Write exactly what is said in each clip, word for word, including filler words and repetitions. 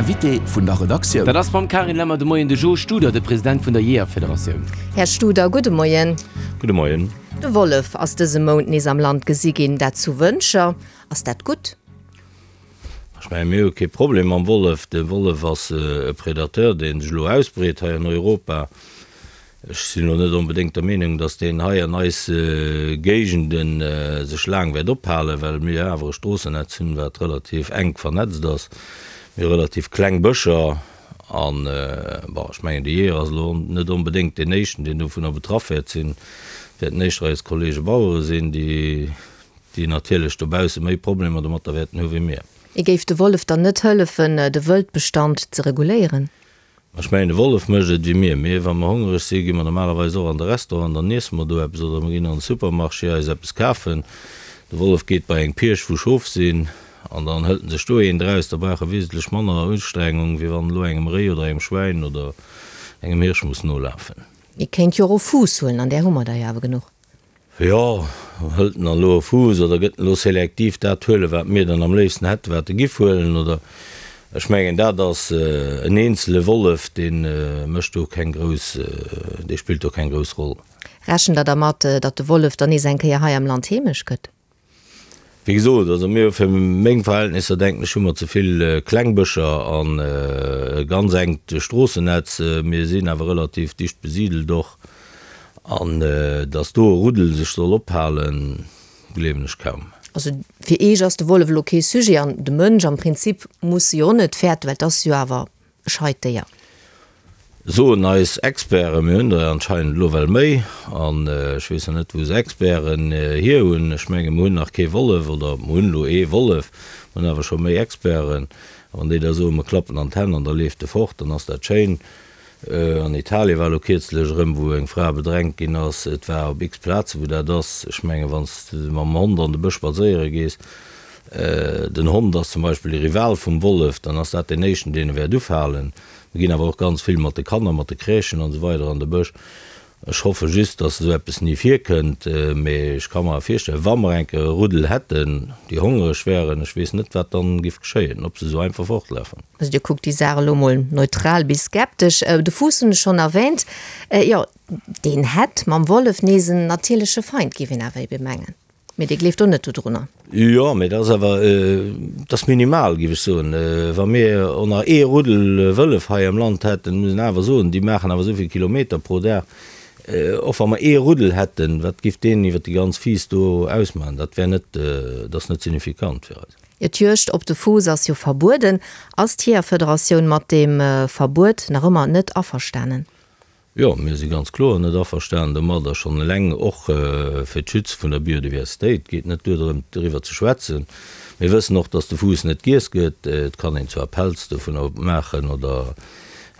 Invité vun der Redaktioun. Dat ass mam Carine Lemmer de Moien de Jo Studer, de President vun der Jeeërfederatioun. Här Studer, gudde Moien. Gudde Moien. De Wollef ass dëse Mount nees am Land gesi ginn, dat zu Wëntger. Ass dat gutt? Ech mengen, mir hu kee Problem mam Wollef. De Wollef ass e Predateur, dee sech elo ausbreet hei an Europa. Ech sinn elo net onbedéngt der Meenung, datt deen hei an eis Géigende sech laang wäert ophalen, well mir awer e Stroossennetz hunn, wat relativ enk vernetzt ass. Mir hu relativ kleng Bëscher an, bon, ech mengen, de Jeeër ass elo net onbedéngt deen éischten, deen dovunner betraff wäert sinn. Et wäerten éischter eis Kollege Bauere sinn, déi, déi natierlech dobausse méi Problemer domatter wäerten hu wéi mir. Et géif de Wollef dann net hëllefen, de Wëldbestand ze reguléieren? Ech mengen, de Wollef mécht et wéi mir. Mir, wa mer hongereg sinn, gi mer normalerweis och an de Restaurant, dann iesse mer do eppes oder mer ginn an de Supermarché eis eppes kafen. De Wollef geet bei eng Pierch, wou Schof sinn, an dann hëlt en sech do eent eraus. Da brauch e wesentlech manner Ustrengung, wéi wann en elo engem Réi oder engem Schwäin oder engem Hirsch muss nolafen. Ee kéint jo och e Fuuss huelen, an där hu mer der jo awer genuch. Jo, hëlt en dann elo e Fuuss oder gëtt en elo selektiv dat huelen, wat mir dann am léifsten hätten, wat e giff huelen? Oder ech mengen, dat ass en eenzele Wollef, dee mécht do keng grouss, dee spillt do keng grouss Roll. Rechent Der dermat, datt de Wollef dann nees eng Kéier hei am Land heemesch gëtt? Wéi gesot, also mir hu fir meng Verhältnisser, denken ech, hu mer ze vill kleng Bëscher an e ganz enkt Stroossennetz. Mir sinn awer relativ dicht besidelt och. An datt do e Ruddel sech soll ophalen, gleewen ech kaum. Also fir Eech ass de Wollef elo kee Sujet an de Mënsch am Prinzip muss e jo och net fäerten, well et ass jo awer e scheit Déier. Soen eis Experten, mir hunn der anscheinend elo well méi, an ech weess nach net wou se Experten hier hunn, ech menge mer hunn nach kee Wollef, oder mer hunn elo ee Wollef, mer hunn awer scho méi Experten, a wann déi da soen, mer klappen an d'Hänn an da leeft e fort, dann ass dat schéin. An Italien war elo kierzlech erëm, wou eng Fra bedrängt ginn ass, et war op x Plaze wou dat ass, ech menge wann s de mam Hond an de Bësch spadséiere gees, den Hond ass zum Beispill de Rival vum Wollef, dann ass dat deen éischten, deen e wäert ufalen. Mir ginn awer och ganz vill mat de Kanner, mat de Crèchen an esou weider an de Bësch. Ech hoffe just, dass esou eppes ni virkënnt, mee ech ka mer awer virstellen, wa mer eng Kéier e Ruddel hätten, déi hongereg wären, ech weess net, wat dann giff geschéien, ob se esou einfach fortlafen. Also Dir kuckt déi Saach elo mol neutral bis skeptesch. De Fuuss hunn ech schonn erwähnt. Jo, deen hätt mam Wollef nees en natierleche Feind, géif een awer ebe mengen. Mee Dir gleeft och net dodrunner? Jo, mee dat ass awer, dat ass minimal, géif ech soen. Wa mir och nach ee Ruddel Wëllef hei am Land hätten, muss een awer soen, déi maachen awer esou vill Kilometer pro Dag. Och wa mer ee Ruddel hätten, wat giff deen iwwer déi ganz Fiiss do ausmaachen? Dat wär net, dat ass net signifikant fir eis. Jo, d'Juegd op de Fuuss ass jo verbueden. Ass d'Jeeërfederatioun mat deem Verbuet nach ëmmer net averstanen? Jo, mir si ganz kloer net averstanen domadder, schonn eleng och fir d'Schütze vun der Biodiversitéit. Et geet net duer drëm, doriwwer ze schwätzen. Mir wëssen och, dass de Fuuss net giess gëtt. Et kann een zwar Pelz dovunner maachen oder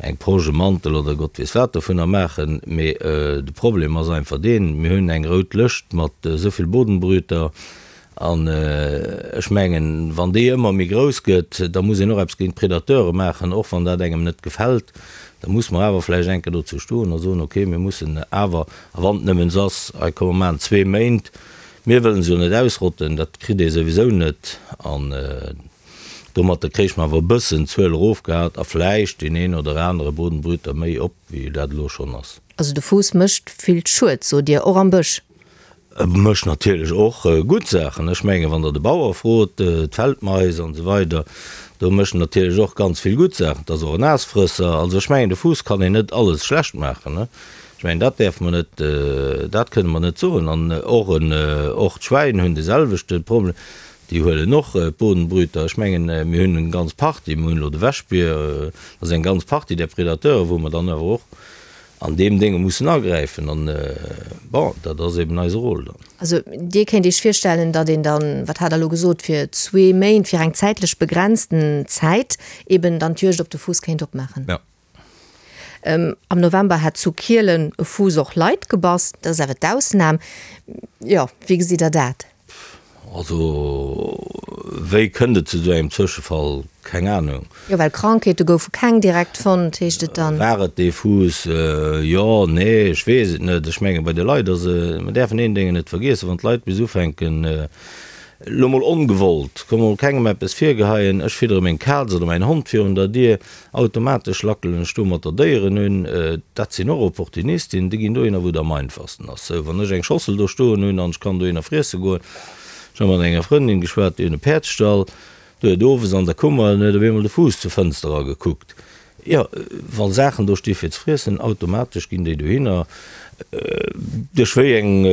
eng Posch, e Mantel oder Gott weess wat dovunner maachen, mee de Problem ass einfach deen, mir hunn eng rout Lëscht mat esou vill Bodenbrüter, An ech mengen, wann déi ëmmer méi grouss gëtt, da muss een och eppes géint d'Predateure maachen, och wann dat engem net gefält. Da muss mer awer vläicht eng Kéier dozou stoen a soen, okay, mir mussen awer, a wann et nëmmen ass, hei komm mer maachen zwee Méint, mir wëllen se jo net ausrotten, dat kritt ee souwisou net. An domatter kréich mer awer e bëssen d'Zuel erofgehat a vläicht deen een oder anere Bodenbrüter méi op, wéi dat elo schonn ass. Also de Fuuss mécht vill Schued, sot Dir, och am Bësch? E mécht natierlech och gutt Saachen. Ech mengen, wann Der de Bauer frot, d'Feldmais an esou weider, do mécht en natierlech och ganz vill gutt Saachen. Et ass och en Aasfrësser. Also ech mengen, de Fuuss kann een net alles schlecht maachen. Ech mengen, dat däerfe mer net, dat kënne mer net soen. An och en, och d'Schwäin hunn de selwechte Problem. Déi huelen och d'Bodenbrüter. Ech mengen, mir hunn eng ganz Partie, mir hunn elo de Wäschbier, dat ass eng ganz Partie där Predateuren, wou mer dann awer och an deem Dénge mussen agräifen. An, bon, dat ass eben eise Rôle dann. Also Dir kéint Iech virstellen, datt een dann, wat hat Der elo gesot, fir zwee Méint, fir eng zäitlech begrenzten Zäit eben dann d'Juegd op de Fuuss kéint opmaachen? Jo. Am November hätt zu Kielen e Fuuss och Leit gebass. Dat ass awer d'Ausnam. Jo, wéi gesitt Der dat? Also, wéi kënnt et zu esou engem Zwëschefall? Keng Anung. Jo, well Krankheete goufe keng direkt fonnt, heescht et dann. War et dee Fuuss? Jo, nee, ech weess et net. Ech menge bei de Leit ass, mer däerfen een Déngen net vergiessen, wann d'Leit bis ufänken Elo mol ongewollt, ka mol kengem eppes virgeheien, ech fiddere meng Kaz oder mäin Hond virun der Dier, automatesch lackelen ech domatter Déieren un. Dat sinn och Opportunisten, déi ginn dohinner, wou et am einfachsten ass. Sou, wann ech eng Schossel do stoen hunn an ech kann dohinner friesse goen, ech hu mat enger Frëndin geschwat, déi hunn e Päerdsstall, do huet owes an der Kummer, huet op eemol de Fuuss zur Fënster eragekuckt. Jo, wa Saachen do sti fir ze friessen, automatesch ginn déi dohinner. Duerch wéi eng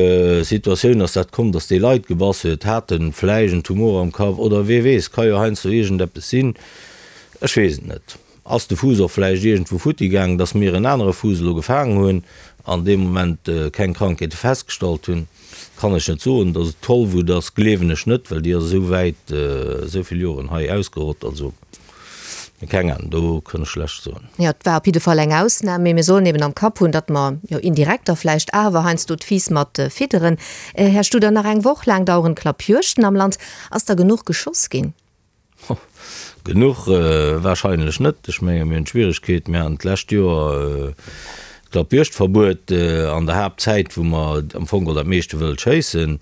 Situatioun ass dat komm, datt dee Leit gebass huet? Hat en vläicht en Tumor am Kapp oder wee weess, ka jo heiansdo iergendeppes sinn, ech weess et net. Ass de Fuuss och vläicht iergendwou futti gaangen, datt mir en anere Fuuss elo gefaangen hunn an dee Moment keng Krankheete festgestallt hunn, kann ech net soen. Datt et Tollwut ass, gleewen ech net, well déi ass esou wäit, esou vill Joren hei ausgerott. Also. Keng Ahnung, do kënn ech schlecht soen. Jo, et war op jidde Fall eng Ausnam, mee mir sollen eben am Kapp hunn, datt mer, jo indirekt da vläicht awer heiansdo d'Fiiss mat fidderen. Här Studer, nach eng Woch laang daueren d'Klappjuegten am Land. Ass da genuch geschoss ginn? Genuch wahrscheinlech net. Ech menge mir hunn d'Schwieregkeet, mir haten d'lescht Joer d'Klappjuegtverbuet an der Haaptzäit, wou mer am Fong geholl dat meeschte Wëld schéissen.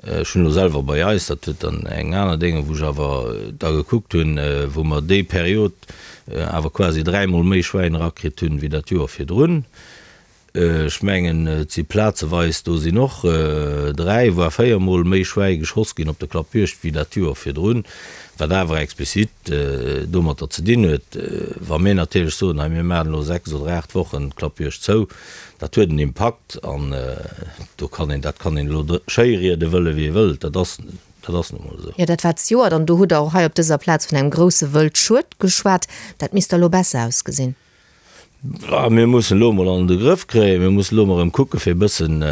Ech hunn elo selwer bei eis, dat huet dann eng aner Dénge, wou ech awer da gekuckt hunn, wou mer déi Period awer quasi dräimol méi Schwäin erakritt hunn, wéi dat Joer virdrun. Ech mengen, et si plazeweis, do sinn och dräi, voire véiermol méi Schwäi geschoss ginn op der Klappjuegd wéi dat Joer virdrun, wat awer explizit domatter ze dinn huet, wa mir natierlech soen, hei mir maachen elo sechs oder aacht Wochen d'Klappjuegd zou, Dat huet en Impakt an do kann een, dat kann een elo schéiriede wëlle wéi ee wëllt, dat ass, dat ass nu mol esou. Jo, dat war zejoert an do hutt Der och hei op dëser Plaz vun engem grousse Wëldschued geschwat. Dat misst da elo besser ausgesinn. Mir mussen elo emol an de Grëff kréien, mir mussen elo emol erëm kucke fir e bëssen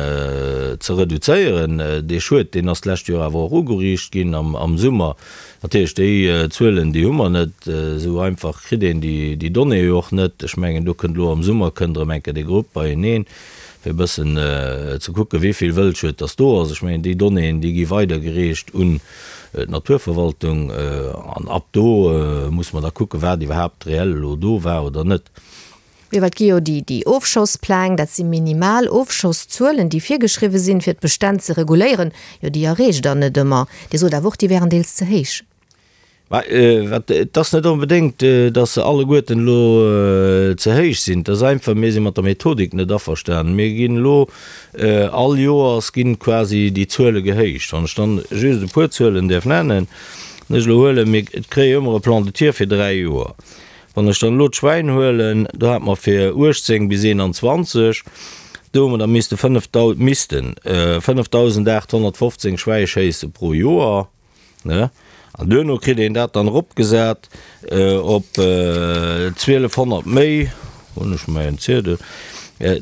ze reduzéieren. Dee Schued, deen ass d'lescht Joer awer och ugeriicht ginn am Summer. Natierlech, déi Zuelen, déi hu mer net. Esou einfach kritt een déi Donnéeë jo och net. Ech mengen, do kënnt elo am Summer kënnt erëm eng Kéier dee Grupp beieneen, fir e bëssen ze kucken, wéi vill Wëldschued dass do ass. Ech mengen, déi Donnéeën, déi gi weidergereecht un d'Naturverwaltung. An ab do musse mer da kucken, wat iwwerhaapt reell elo do war oder net. Mee wat gi jo déi, déi Ofschosspläng, dat si minimal Ofschosszuelen, déi virgeschriwwe sinn, fir d'Bestänn ze reguléieren. Jo, déi erreecht Der net ëmmer. Dir sot awer och, déi wären deels ze héich. Mä wat, et ass net onbedéngt, datt se alleguerten elo ze héich sinn. Et ass einfach, mir si mat der Methodik net averstanen. Mir ginn elo, all Joers ginn quasi déi Zuele gehéicht. Wann ech dann just e puer Zuelen däerf nennen, wann ech elo huelen, mir kréie jo ëmmer e Plan de tir fir dräi Joer. Wann ech dann elo d'Schwäin huelen, do hate mer fir uechtzéng bis eenanzwanzeg, do hu mer da misste fënnef, missten fënnefdausendaathonnertfofzéng Schwäi schéisse pro Joer, ne? An duerno kritt een dat dann eropgesat op zwielefhonnert méi, hunn ech mäin Ziedel,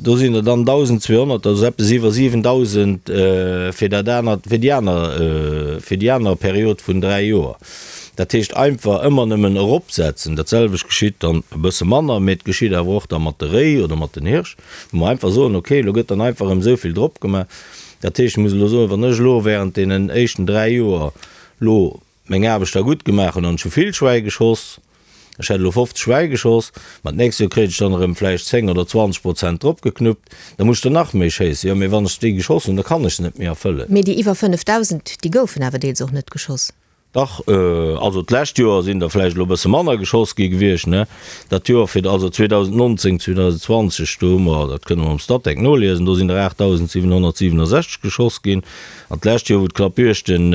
do sinn der dann dausendzweehonnert, dat ass eppes iwwer siwendausend fir dat anert, fir déi aner, fir déi aner Period vun dräi Joer. Dat heescht einfach ëmmer nëmmen eropsetzen. Dat selwecht geschitt dann e bësse manner, mee et geschitt awer och da mat de Réi oder mat den Hirsch, wou mer einfach soen, okay, elo gëtt dann einfach erëm esou vill drop gemaach. Dat heescht, ech muss elo soen, wann ech elo während deenen éischten dräi Joer elo meng Aarbecht da gutt gemaach hunn an ech hu vill Schwäi geschoss, ech hätt elo fofzeg Schwäi geschoss, ma d'nächst Joer kréit ech dann erëm vläicht zéng oder zwanzeg Prozent dropgeknuppt, da muss ech der nach méi schéissen. Jo, mee wann ech déi geschoss hunn, da kann ech se net méi erfëllen. Mee déi iwwer fënnefdausend, déi goufen awer deels och net geschoss. Dach, also d'lescht Joer sinn der vläicht elo e bësse manner geschoss gi gewiescht, ne? Dat Joer fir, also zweedausendnonzéng, zweedausendzwanzeg, do hu mer, dat kënne mer am Statec noliesen, do sinn der aachtdausendsiwenhonnertsiwenundsechzeg geschoss ginn. An d'lescht Joer, wou d'Klappjuegten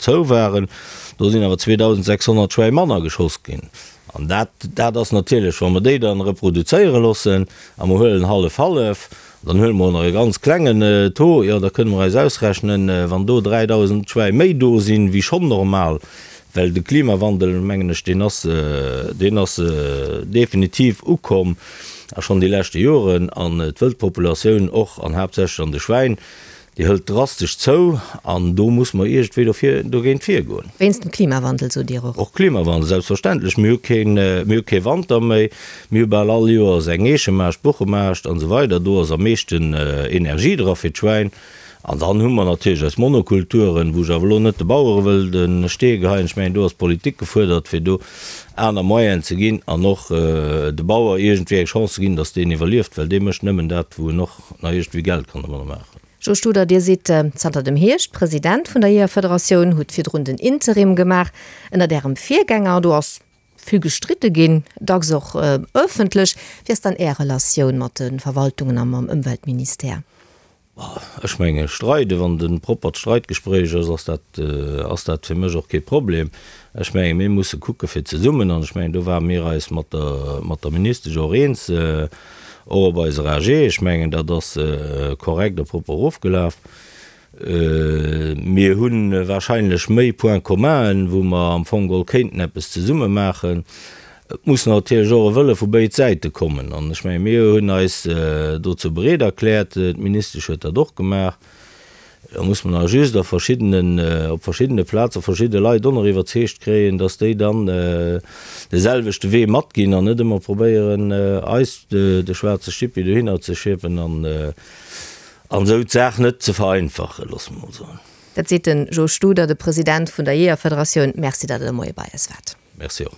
zou waren, do sinn awer zweedausendsechshonnert Schwäi manner geschoss ginn. An dat, dat ass natierlech, wa mer déi dann reproduzéiere loossen a mer huelen hallef-hallef, dann huele mer och nach e ganz klengen Taux, jo, da kënne mer eis ausrechnen, wann do dräidausend Schwäi méi do sinn, wéi schonn normal, well de Klimawandel, mengen ech, deen ass, deen ass definitiv ukomm a schonn déi leschte Joren, an d'Wëldpopulatioun och an haaptsächlech an de Schwäin, Déi hëlt drastesch zou an do muss mer iergendwéi dofir, dogéint virgoen. Wéinst dem Klimawandel, sot Dir och? Och Klimawandel, selbstverständlech. Mir hu keen, mir hu kee Wanter méi. Mir hu bal all Joers eng Eechemaascht, Buchemaascht an esou weider. Do ass am meeschten Energie dra fir d'Schwäin. An dann hu mer natierlech eis Monokulturen, wou ech awer elo net de Bauere wëll de Stee geheien. Ech mengen, do ass d'Politik gefuerdert, fir do aner Moyenen ze ginn an och de Bauer iergendwéi eng Chance ze ginn, datt deen iwwerlieft, well dee mécht nëmmen dat, wou en och nach iergendwéi Geld kann domadder maachen. Joe Studer, Dir sidd zanter dem Hierscht President vun der Jeeërfederatioun, hutt virdrun den Interim gemaach ënnert Ärem Virgänger. Do ass vill gestridde ginn, dacks och ëffentlech. Wéi ass dann Är Relatioun mat de Verwaltungen a mam Ëmweltministère? Ech menge streiden, wann et e proppert Streitgespréich ass, ass dat, ass dat fir mech och kee Problem. Ech menge mir musse kucke fir zesummen, an ech mengen do ware mir eis mat der, mat der Ministesch och eens, Och op eiser A G, ech mengen, dat ass korrekt a propper ofgelaf. Mir hu wahrscheinlech méi Points communen, wou mer am Fong geholl kéinten eppes zesumme maachen. Et muss natierlech och e Wëlle vu béid Säite kommen. An ech mengen, mir hunn eis dozou bereet erkläert, d'Ministesch huet dat och gemaach. Da muss mer nach just a verschiddenen, op verschiddene Plaze verschidde Leit och nach iwwerzeegt kréien, dass déi dann de selwechte Wee matginn an net ëmmer probéieren, eis de schwaarze Stippi dohinner ze schieppen an esou d'Saach net ze vereinfachen, loosse mer mol soen. Dat seet de Jo Studer, de President vun der Jeeërfederatioun. Merci, datt Der de Moie bei eis waart. Merci och.